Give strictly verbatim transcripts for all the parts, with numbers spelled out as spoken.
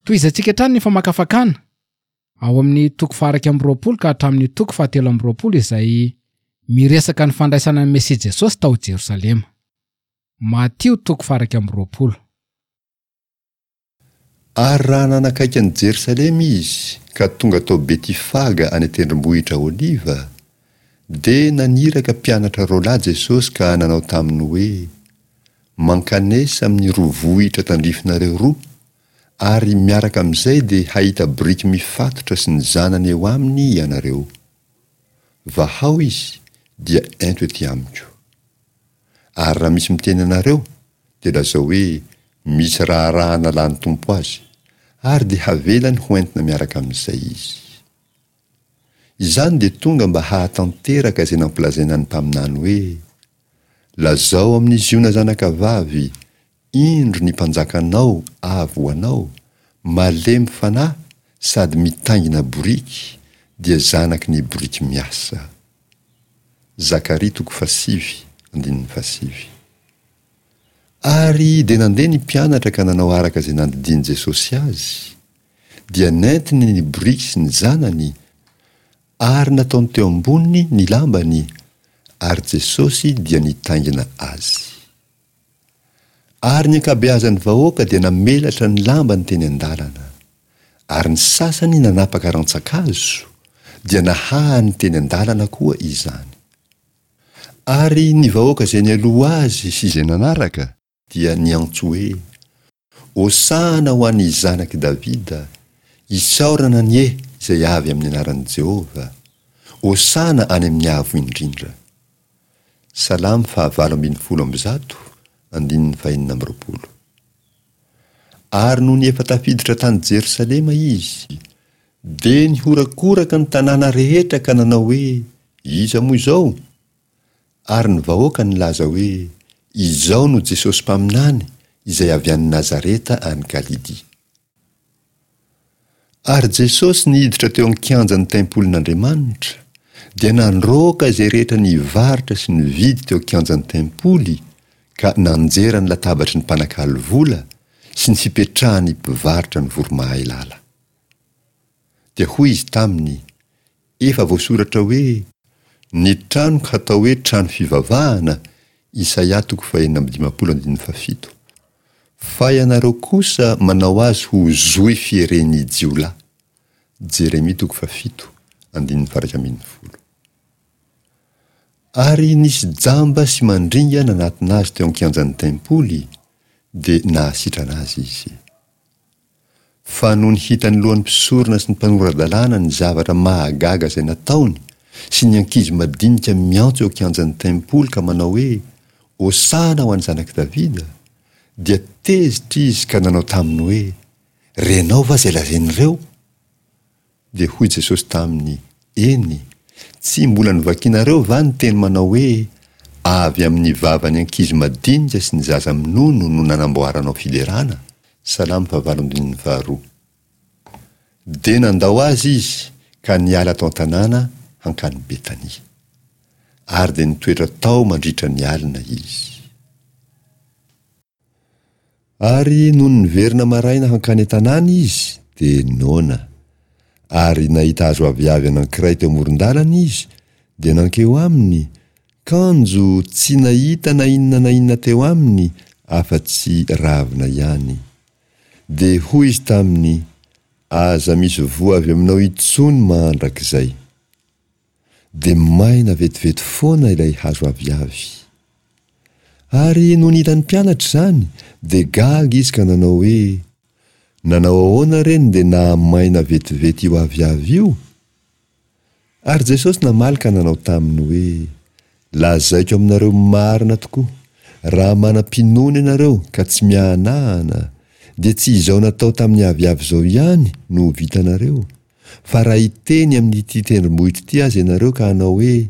Tohizantsika hatrany ny famakafakana ao amin'ny toko faha-iraika amby roapolo ka hatramin'ny toko fahatelo amby roapolo izay miresaka ny fandraisana ny Mesia Jesosy tao Jerosalema. Matio toko faha-iraika amby roapolo. Ary raha nanakaiky an'i Jerosalema izy ka tonga tao Betifaga any an-tendrombohitra Oliva, dia naniraka mpianatra roalahy Jesosy ka nanao taminy hoe, Mankanesa amin'ny roa vohitra tandrifinareo roa, ary miaraka amin'izay dia hahita boriky mifatotra sy ny zanany eo aminy ianareo. Vahao izy, dia ento ety amiko. Ary raha misy miteny anareo, dia lazao hoe, Misy raharaha nalan'ny Tompo azy, ary dia havelany ho entina miaraka amin'izay izy. Izany dia tonga mba hahatanteraka izay nampilazaina ny mpaminany hoe, Lazao amin'i Ziona zanakavavy, Indro ny mpanjakanao avy ho anao, malemy fanahy sady mitaingina boriky, dia zanaky ny boriky miasa. Zakaria toko fahasivy, andininy fahasivy. Ary dia nandeha ny mpianatra ka nanao araka izay nandidian'i Jesosy azy, dia nentiny ny boriky sy ny zanany, ary nataony teo amboniny ny lambany, ary Jesosy dia nitaingina azy. Ary ny ankabeazan'ny vahoaka dia namelatra ny lambany teny an-dalana. Ary ny sasany nanapaka rantsan-kazo, dia nahahany teny an-dalana koa izany. Ary ny vahoaka izay nialoha azy sy izay nanaraka, dia niantso hoe, Hosana ho an'ny Zanak'i Davida, isaorana anie izay avy amin'ny anaran'i Jehovah, Hosana any amin'ny avo indrindra. Salamo fahavalo ambin'ny folo amby zato, andininy fahenina amby roapolo. Ary nony efa tafiditra tany Jerosalema izy, dia nihorakoraka ny tanàna rehetra ka nanao hoe, Iza moa izao? Ary ny vahoaka nilaza hoe, Izao no Jesosy mpaminany izay avy any Nazareta any Galilia. Ary Jesosy niditra teo an-kianjan'ny tempolin'Andriamanitra, dia nandroaka izay rehetra nivarotra sy nividy teo an-kianjan'ny tempoly, ka nanjera ny latabatry ny mpanakalo vola sy ny fipetrahan'ny mpivarotra ny voromahailala. Dia hoy Izy taminy, Efa voasoratra hoe, Ny tranoko hatao hoe trano fivavahana, Isaia toko fahenina amby dimampolo andininy fahafito. Fa ianareo kosa manao azy ho zohy fieren'ny jiolahy. Jeremia toko fahafito andininy faha-iraika ambin'ny folo. Ary nisy jamba sy mandringa nanatona azy teo an-kianjan'ny tempoly, dia nahasitrana azy izy. Fa nony hitan'ny lohan'ny mpisorona sy ny mpanora-dalàna ny zavatra mahagaga izay nataony, sy ny ankizy madinika miantso eo an-kianjan'ny tempoly ka manao hoe, Hosana ho an'ny Zanak'i Davida, dia tezitra izy ka nanao taminy hoe, Renao va izay lazain'ireo? Dia hoy Jesosy taminy, Eny, tsy mbola novakinareo va ny teny manao hoe, Avy amin'ny vavan'ny ankizy madinika sy ny zaza minono no nanamboaranao fiderana? Salamo fahavalo andininy faharoa. Dia nandao azy izy ka niala tao an-tanàna hankany Betania. Ary dia nitoetra tao mandritra ny alina izy. Ary nony niverina maraina hankany an-tanàna izy, dia noana. Ary nahita hazo aviavy anankiray teo amoron-dalana izy, dia nankeo aminy, kanjo tsy nahita na inona na inona teo aminy afa-tsy ravina ihany. Dia hoy izy taminy, Aza misy voa avy aminao intsony mandrakizay. Dia maina vetivety foana ilay hazo aviavy. Ary nony hitan'ny mpianatra izany, dia gaga izy ka nanao hoe, Nanao ahoana re no dia nahamaina vetivety io aviavy io? Ary Jesosy namaly ka nanao taminy hoe, Lazaiko aminareo marina tokoa, raha manam-pinoana ianareo ka tsy miahanahana, dia tsy izao natao tamin'ny aviavy izao ihany no ho vitanareo, fa raha hiteny amin'ity tendrombohitra ity aza ianareo ka hanao hoe,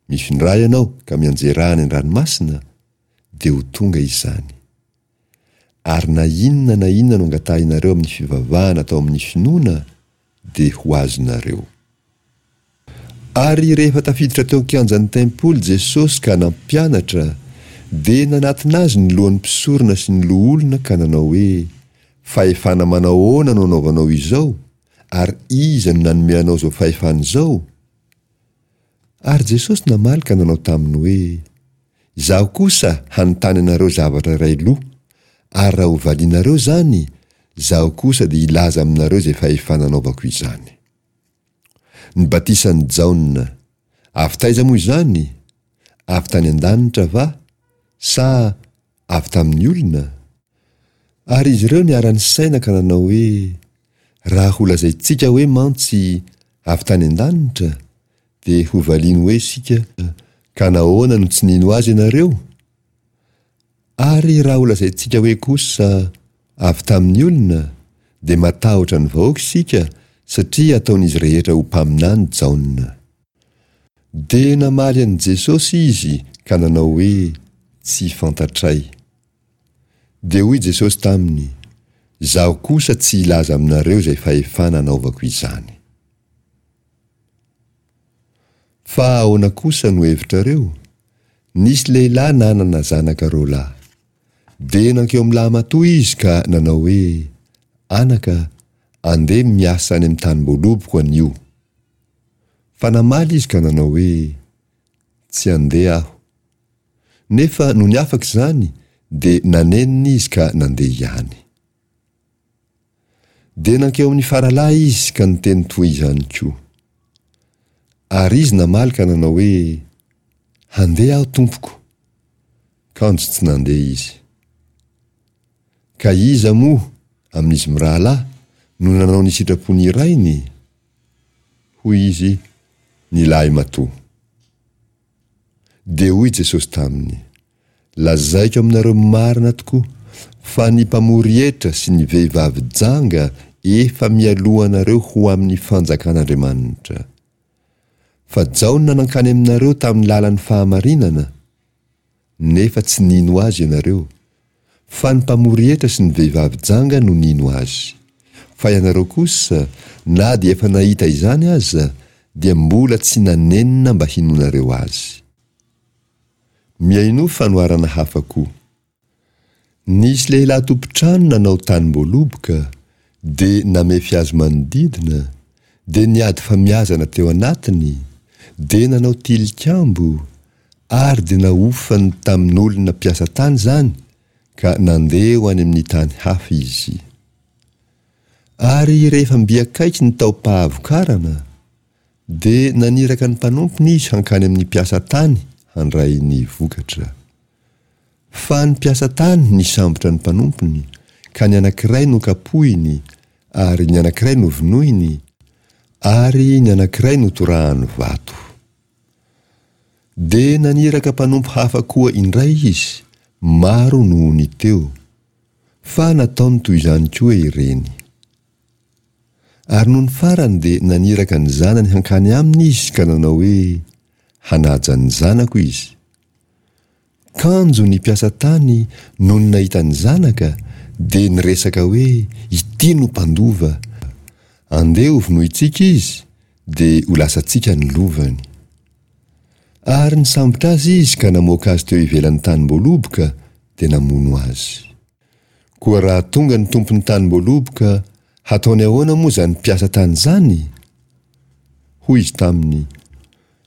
Mifindrà ianao ka mianjerà any an-dranomasina, dia ho tonga izany. Ary na inona na inona no angatahinareo amin'ny fivavahana atao amin'ny finoana, dia ho azonareo. Ary rehefa tafiditra teo an-kianjan'ny tempoly Jesosy ka nampianatra, dia nanatona azy ny lohan'ny mpisorona sy ny loholona ka nanao hoe, Fahefana manao ahoana no anaovanao izao, ary iza no nanome anao izao fahefana izao? Ary Jesosy namaly ka nanao taminy hoe, Izaho kosa hanontany anareo zavatra iray loha, ary raha hovalianareo izany, izaho kosa dia hilaza aminareo izay fahefana anaovako izany. Ny batisan'i Jaona, avy taiza moa izany? Avy tany an-danitra va, sa avy tamin'ny olona? Ary izy ireo niara-nisaina ka nanao hoe, Raha holazaintsika hoe mantsy avy tany an-danitra, dia hovaliany hoe isika, Ka nahoana no tsy nino azy ianareo? Ary raha holazaintsika hoe kosa, Avy tamin'ny olona, dia matahotra ny vahoaka isika, satria ataon'izy rehetra ho mpaminany Jaona. Dia namaly an'i Jesosy izy ka nanao hoe, Tsy fantatray. Dia hoy Jesosy taminy, Izaho kosa tsy hilaza aminareo izay fahefana anaovako izany. Fa ahoana kosa no hevitrareo? Nisy lehilahy nanana zanaka roa lahy. Dia nankeo amin'ny lahimatoa izy ka nanao hoe, Anaka, andeha miasa any amin'ny tanim-boaloboko anio. Fa namaly izy ka nanao hoe, Tsy handeha aho. Nefa nony afaka izany dia nanenina izy ka nandeha ihany. Dia nankeo amin'ny faralahy izy ka niteny toy izany koa. Ary izy namaly ka nanao hoe, Handeha aho, tompoko. Kanjo tsy nandeha izy. Ka iza moa, amin'izy mirahalahy, no nanao ny sitrapon'ny rainy? Hoy izy, Ny lahimatoa. Dia hoy Jesosy taminy, Lazaiko aminareo marina tokoa, fa ny mpamory hetra sy ny vehivavy janga efa mialoha anareo ho amin'ny fanjakan'Andriamanitra. Fa Jaona nankany aminareo tamin'ny lalan'ny fahamarinana, nefa tsy nino azy ianareo, fa ny mpamory hetra sy ny vehivavy janga no nino azy. Fa ianareo kosa, na dia efa nahita izany aza, dia mbola tsy nanenina mba hinoanareo azy. Mihainoa fanoharana hafa koa. Nisy lehilahy tompon-trano nanao tanim-boaloboka, dia namefy azy manodidina, dia niady famiazana teo anatiny, dia nanao tilikambo, ary dia nahofany tamin'olona mpiasa tany izany, ka nandeha ho any amin'ny tany hafa izy. Ary rehefa mby akaiky ny taom-pahavokarana, dia naniraka ny mpanompony izy hankany amin'ny mpiasa tany handray ny vokatra. Fa ny mpiasa tany nisambotra ny mpanompony, ka ny anankiray nokapohiny, ary ny anankiray novonoiny, ary ny anankiray notorahany vato. Dia naniraka mpanompo hafa koa indray izy, maro noho ny teo. Fa nataony toy izany koa ireny. Ary nony farany dia naniraka ny zanany hankany aminy izy ka nanao hoe, Hanaja ny zanako izy. Kanjo ny mpiasa tany nony nahita ny zanaka dia niresaka hoe, Ity no mpandova. Andeha hovonointsika izy, dia ho lasantsika ny lovany. Ary nisambotra azy izy ka namoaka azy teo ivelan'ny tanim-boaloboka, dia namono azy. Koa raha tonga ny tompon'ny tanim-boaloboka, hataony ahoana moa izany mpiasa tany izany? Hoy izy taminy,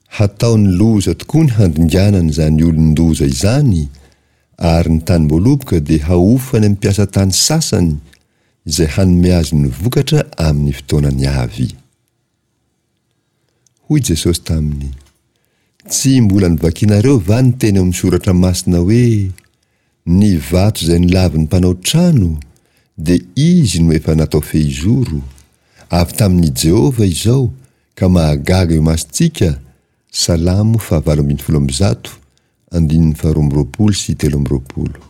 Hataony loza tokoa ny handringanana izany olon-doza izany, ary ny tanim-boaloboka dia hahofany amin'ny mpiasa tany sasany izay hanome azy ny vokatra amin'ny fotoanany avy. Hoy Jesosy taminy, Tsy mbola novakinareo va ny teny ao amin'ny Soratra Masina hoe, Ny vato izay nolavin'ny mpanao trano, dia izy no efa natao fehizoro, avy tamin'i Jehovah izao, ka mahagaga eo imasontsika, Salamo fahavalo ambin'ny folo amby zato, andininy faharoa amby roapolo sy telo amby roapolo.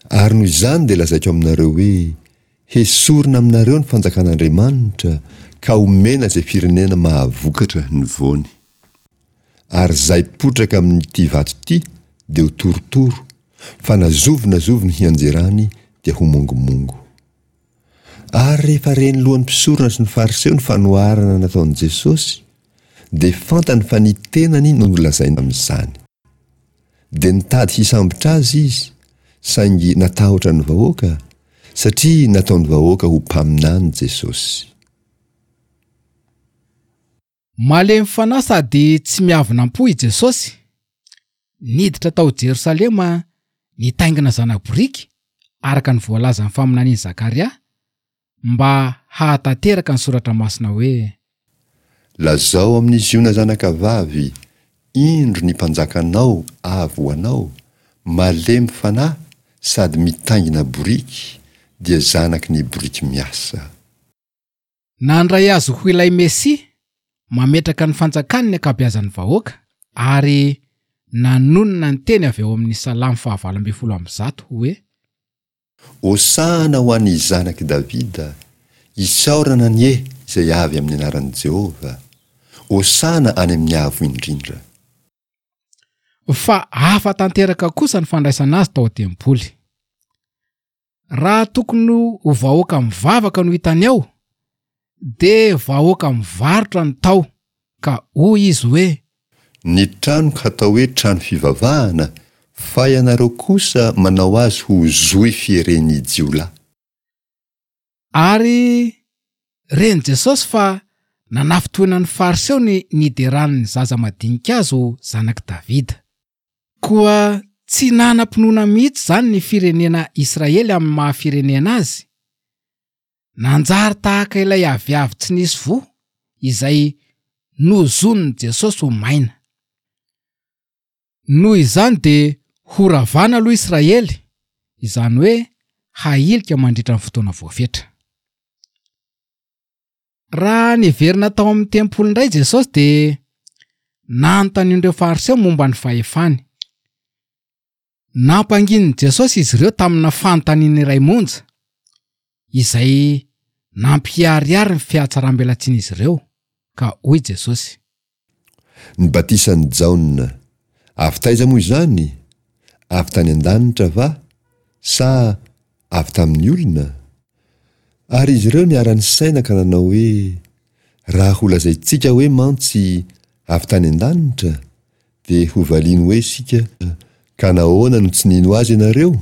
Ary noho izany dia lazaiko aminareo hoe, Hesorina aminareo ny fanjakan'Andriamanitra ka homena izay firenena mahavokatra ny voany. Ary izay potraka amin'ity vato ity dia ho torotoro, fa na zovy na zovy ny hianjerany dia ho mongomongo. Ary rehefa ren'ny lohan'ny mpisorona sy ny Fariseo ny fanoharana nataon'i Jesosy, dia fantany fa ny tenany no nolazainy amin'izany. Dia nitady hisambotra azy izy, saingy natahotra ny vahoaka, satria nataon'ny vahoaka ho mpaminany Jesosy. Malemy fanahy sady tsy miavona am-po i Jesosy. Niditra tao Jerosalema nitaingina zana-boriky araka ny voalazan'ny faminanian'i Zakaria mba hahatanteraka ny soratra masina hoe: Lazao amin'i Ziona zanakavavy, indro ny mpanjakanao avy ho anao, malemy fanahy sady mitaingina boriky, dia zanaky ny boriky miasa. Nandray azy ho ilay Mesia, mametraka ny fanjakany ny ankabeazan'ny vahoaka ary nanonona ny teny avy ao amin'ny Salamo fahavalo ambin'ny folo amby zato hoe: Hosana ho an'ny zanak'i Davida, isaorana anie izay avy amin'ny anaran'i Jehovah, Hosana any amin'ny avo indrindra. Fa hafa tanteraka kosa ny fandraisana azy tao an-tempoly. Raha tokony ho vahoaka mivavaka no hitany ao, dia vahoaka mivarotra ny tao, ka hoy izy hoe: Ny tranoko hatao hoe trano fivavahana, fa ianareo kosa manao azy ho zohy fieren'ny jiolahy. Ary ren'i Jesosy fa nanafintohina ny Fariseo ny nideran'ny zaza madinika azy ho zanak'i Davida. Koa tsy nanam-pinoana mihitsy izany ny firenena Israely amin'ny maha firenena azy. Nanjary tahaka ilay aviavy tsy nisy voa izay nozonin'i Jesosy ho maina. Noho izany dia horavana aloha Israely, izany hoe hahilika mandritra ny fotoana voafetra. Raha niverina tao amin'ny tempoly indray Jesosy dia nanontanian'ireo Fariseo momba ny fahefany. Nampanginin'i Jesosy izy ireo tamina fanontaniana iray monja, izay nampiharihary ny fihatsaram-belatsian'izy ireo, ka hoy Jesosy: Ny batisan'i Jaona, avy taiza moa izany? Avy tany an-danitra va, sa avy tamin'ny olona? Ary izy ireo niara-nisaina ka nanao hoe: Raha holazaintsika hoe mantsy avy tany an-danitra, dia hovaliany hoe isika, ka nahoana no tsy nino azy ianareo?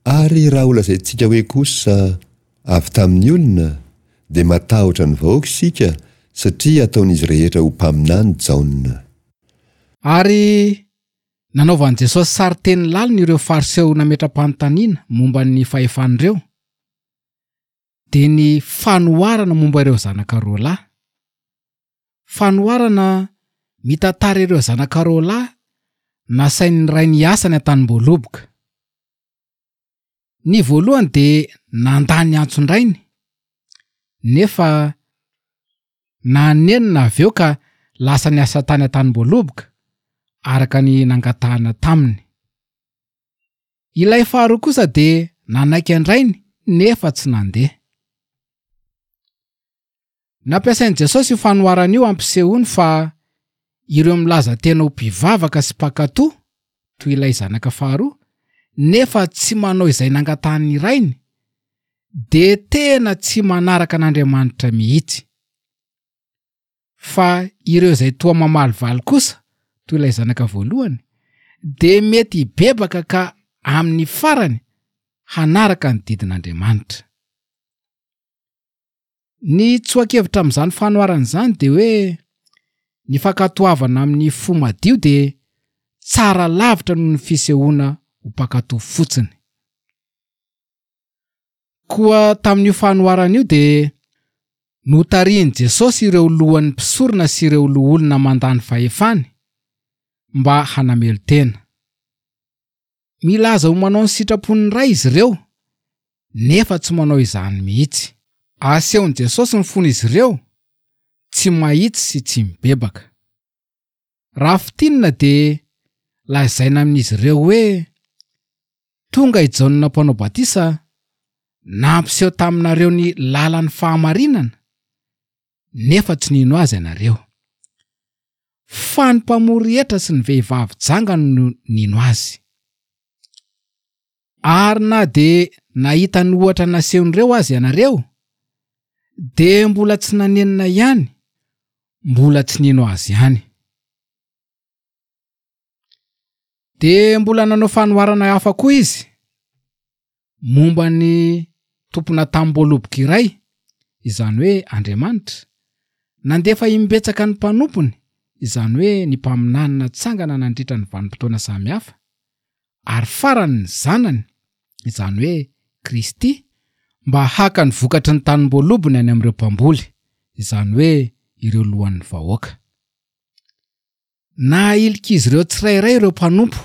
Ary raha holazaintsika hoe kosa avy tamin'ny olona, dia matahotra ny vahoaka isika, satria ataon'izy rehetra ho mpaminany Jaona. Ary nanaovan'i Jesosy sarin-teny lalina ireo Fariseo nametra-panontaniana momba ny fahefan'ireo, dia ny fanoharana momba ireo zanaka roa lahy. Fanoharana mitantara ireo zanaka roa lahy nasain'ny rainy hiasa any an-tanim-boaloboka. Ny voalohany dia nandà ny antson-drainy, nefa nanenina avy eo ka lasa niasa tany an-tanim-boaloboka araka ny nangatahana taminy. Ilay faharoa kosa dia nanaiky an-drainy nefa tsy nandeha. Nampiasain'i Jesosy io fanoharana io hampisehoany fa ireo milaza tena ho mpivavaka sy mpankatò toy ilay zanaka faharoa, nefa tsy manao izay nangatahan'ny rainy, dia tena tsy manaraka an'Andriamanitra mihitsy. Fa ireo izay toa mamalivaly kosa, toy ilay zanaka voalohany, dia mety hibebaka ka amin'ny farany hanaraka ny didin'Andriamanitra. Ny tsoa-kevitra amin'izany fanoharana izany dia hoe ny fankatoavana amin'ny fo madio dia tsara lavitra noho ny fisehoana ho mpankatò fotsiny. Koa tamin'io fanoharana io dia notarihin'i Jesosy ireo lohan'ny mpisorona sy ireo loholona mandany fahefany mba hanamelo-tena. Milaza ho manao ny sitrapon'ny Ray izy ireo, nefa tsy manao izany mihitsy. Asehon'i Jesosy ny fon'izy ireo, tsy mahitsy sy tsy mibebaka. Raha fintinina dia lazaina amin'izy ireo hoe: tonga i Jaona mpanao batisa, nampiseho taminareo ny lalan'ny fahamarinana, nefa tsy nino azy ianareo. Fa ny mpamory hetra sy ny vehivavy janga no nino azy. Ary na dia nahita ny ohatra nasehon'ireo azy ianareo, dia mbola tsy nanenina ihany, mbola tsy nino azy ihany. Dia mbola nanao fanoharana hafa koa izy, Momba ny tompona tamim-boaloboka iray, izany hoe Andriamanitra, nandefa imbetsaka ny mpanompony, izany hoe ny mpaminany natsangana nandritra ny vanim-potoana samihafa, ary farany ny zanany, izany hoe Kristy, mba haka ny vokatry ny tanim-boalobony any amin'ireo mpamboly, izany hoe ireo lohan'ny vahoaka. Nahilika izy ireo tsirairay ireo mpanompo,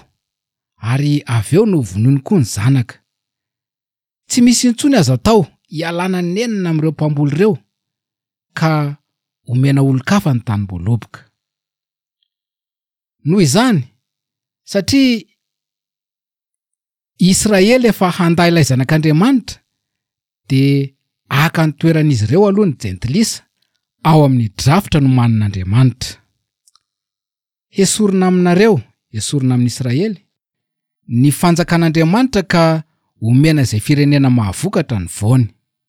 ary avy eo novonoiny koa ny zanaka. Tsy misy intsony azo atao hialana nenina amin'ireo mpamboly ireo, ka omena olon-kafa ny tanim-boaloboka. Noho izany, satria Israely efa handà ilay zanak'Andriamanitra, dia haka ny toeran'izy ireo aloha ny jentilisa ao amin'ny drafitra nomanin'Andriamanitra. Hesorina aminareo, hesorina amin'i Israely, ny fanjakan'Andriamanitra ka omena izay firenena mahavokatra ny voany.